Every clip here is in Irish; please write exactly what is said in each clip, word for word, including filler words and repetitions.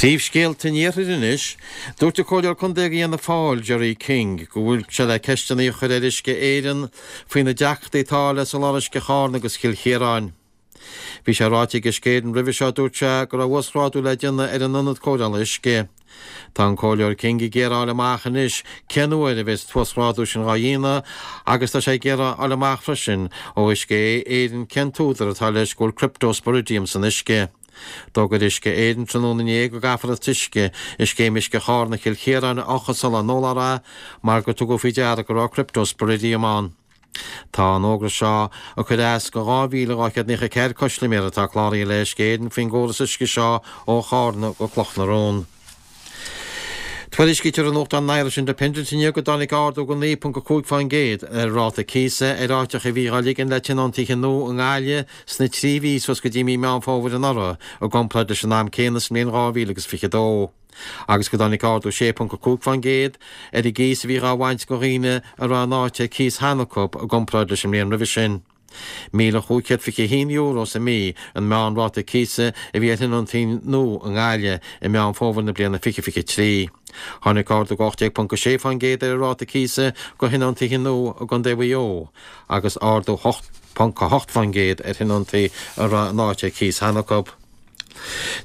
Príomhscéalta an Iarthair anois, dúirt an Comhairleoir Contae Fhianna Fáil Gerry King go bhfuil sé le ceisteanna a chur ar Uisce Éireann faoi na deacrachtaí atá le soláthar uisce Charna agus Chill Chiaráin. Bhí sé ráite ag Uisce Éireann roimhe seo dúirt sé go raibh uasghrádú le déanamh ar an ionad cóireála uisce. Tá an Comhairleoir King ag iarraidh a fháil amach anois cén uair a bheas an t-uasghrádú sin dhá dhéanamh agus tá sé ag iarraidh a fháil amach freisin ó Uisce Éireann cén t-údar atá leis go bhfuil cryptosporidium san uisce. D'fhógair Uisce Éireann tráthnóna inné go gcaithfear an t-uisce i scéim uisce Charna Chill Chiaráin a fhiuchadh sula n-ólfar é mar gur tugadh faoi deara go raibh cryptosporidium ann. Tá an fhógra seo ag cur as go dhá mhíle dhá chéad naocha ceathair custaiméir atá cláraithe le Uisce Éireann faoin gcóras uisce seo ó Charna go Cloch na Rón. Tuairiscítear i nuachtán an Irish Independent inniu go dtáinig ardú go naoi ponc a cúig faoin gcéad ar ráta cíosa ar áiteacha a bhí á ligean le tionóntaithe nua i nGaillimh sna trí mhí suas go dtí mí Meán Fómhair anuraidh i gcomparáid leis an am céanna sa mbliain dhá mhíle agus fiche dó. Agus go dtáinig ardú sé ponc a cúig faoin gcéad ar an gcíos a bhí á bhaint go dhaoine a raibh an áit ar cíos cheana acu i gcomparáid leis an mbliain roimhe sin. Míle chúig chéad fiche a haon euro sa mí an meánráta cíosa a bhí ar thionóntaí nua i nGaillimh i Meán Fómhair na bliana fiche fiche trí. Tháinig ardú ocht déag ponc a sé faoin gcéad ar an ráta cíosa go thionóntaithe nua i gContae Mhaigh Eo agus ardú hocht ponc a hocht faoin gcéad ar thionóntaí a raibh an áit ar cíos cheana acu.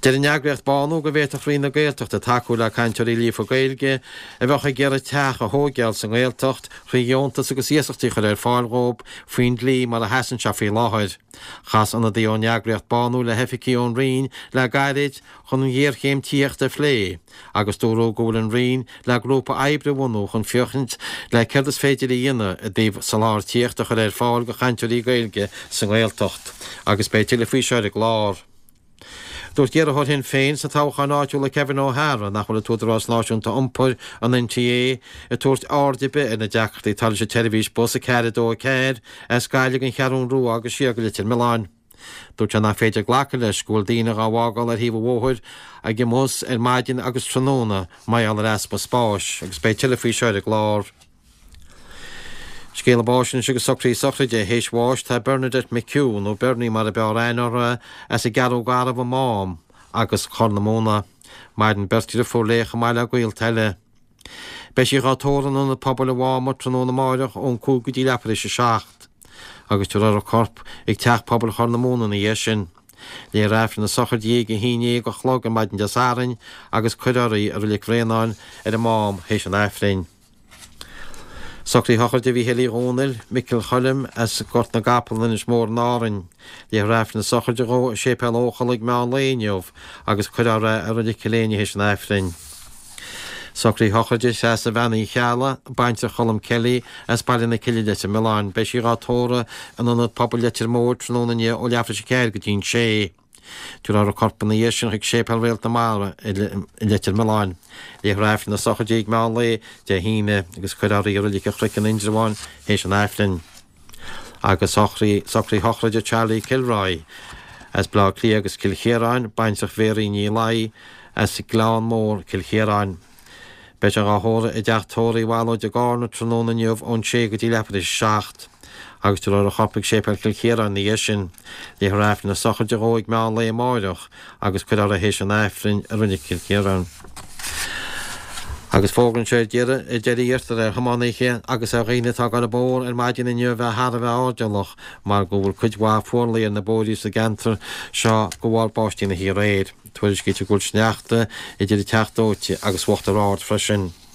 Deir an eagraíocht Bánú go bhféadfadh Roinn na Gaeltachta tacú le cainteoirí líofa Gaeilge a bheadh ag iarraidh teach a thóigeáil sa nGaeltacht thrí dheontas agus iasachtaí a chur ar fáil dhóibh faoin dlí mar a sheasann sé faoi láthair. Chas ionadaí ón eagraíocht Bánú le hoifigigh ón Roinn le gairid chun an ghéarchéim tithíochta a phlé agus dúradh go bhfuil an Roinn le grúpa oibre a bhunú chun féachaint le céard is féidir a dhéanamh i dtaobh soláthar tithíochta a chur ar fáil go chainteoirí Gaeilge sa nGaeltacht agus beidh tuilleadh faoi seo ar an gclár. Dúirt iarrthóir Shinn Féin sna toghcháin áitiúla Kevin O'Hara nach bhfuil an tÚdarás Náisiúnta Iompair, an NTA, ag tabhairt aird ar bith ar na deacrachtaí atá leis an tseirbhís bus a ceathair a dó a ceathair as Gaillimh don Cheathrún Rua agus siar go Leitir Mealláin. Dúirt sé nach féidir glacadh leis go bhfuil daoine dhá bhfágáil ar thaobh an bhóthair ag an mbus ar maidin agus tráthnóna mar gheall ar easpa spáis agus beidh tuilleadh faoi seo ar an gclár. Scéala báis anois agus socruithe sochraide. Théis bháis tá Bernadette McHugh, nó Bernie mar a b'fhearr aithne uirthi, as an gCeathrú Garbh i Mám agus Corr na Móna. Maireann beirt dhriofúr léi chomh maith le gaolta eile. Beidh sí dhá tórramh in Ionad Pobail an Mháma tráthnóna amáireach ón cúig go dtí leathuair tar éis a seacht agus tabharfar a corp ag Teach Pobail Chorr na Móna ina dhiaidh sin. Léifear Aifreann na sochraide di ag a haon déag a chlog ar maidin Dé Sathairn agus cuirfear í i Reilig Bhréanainn ar an Mám théis an Aifrinn. Socruithe sochraide Mhícheáil Uí Dhónaill, Micil Choilm, as Gort na gCapall in Inis Mór in Árainn. Léifear Aifreann na sochraide dhó i Séipéal Eochaill ag meán lae inniu agus cuirfear é i Reilig Chill Éinne théis an Aifrinn. Socruithe sochraide Threasa Bhean Uí Cheallaigh, baintreach Cholm Kelly, as Baile na Cille Leitir Mealláin. Beidh sí dhá tórramh in Ionad Pobail Leitir Móir tráthnóna inniu ó leathuair tar éis a ceathair go dtí an sé. Tabharfar a corp ina dhiaidh sin chuig Séipéal Réalt na Mara i Leitir Mealláin. Léifear Aifreann na sochraide ag meán lae Dé hAoine agus cuirfear í i Reilig an Chnoic in Indreabhán théis an Aifrinn. Agus socruithe sochraide Charlie Kilroy as Baile Átha Cliath agus Cill Chiaráin, baintreach Mhéaraí Ní Laoi as Gleann Mór, Cill Chiaráin. Beidh sé dhá thórramh i dteach tórraimh Uí Bhallóid i gCarna tráthnóna inniu ón sé go dtí leathuair tar éis a seacht. Agus tabharfar a chorp ag Séipéal Chill Chiaráin ina dhiaidh sin. Léifear Aifreann na sochraide dhó ag meán lae amáireach agus cuirfear é théis an Aifrinn i Reilig Chill Chiaráin. Agus fógra anseo ar deireadh, ar deireadh iarrtar ar thiománaithe agus ar dhaoine atá ag dul an bóthar ar maidin inniu a bheith thar a bheith airdeallach mar go bhfuil cuid mhaith fuarlaigh ar na bóithrí sa gceantar seo de bharr báistí na hoíche aréir. Tuairiscítear go bhfuil sneachta idir an Teach Dóite agus Uachtar Ard freisin.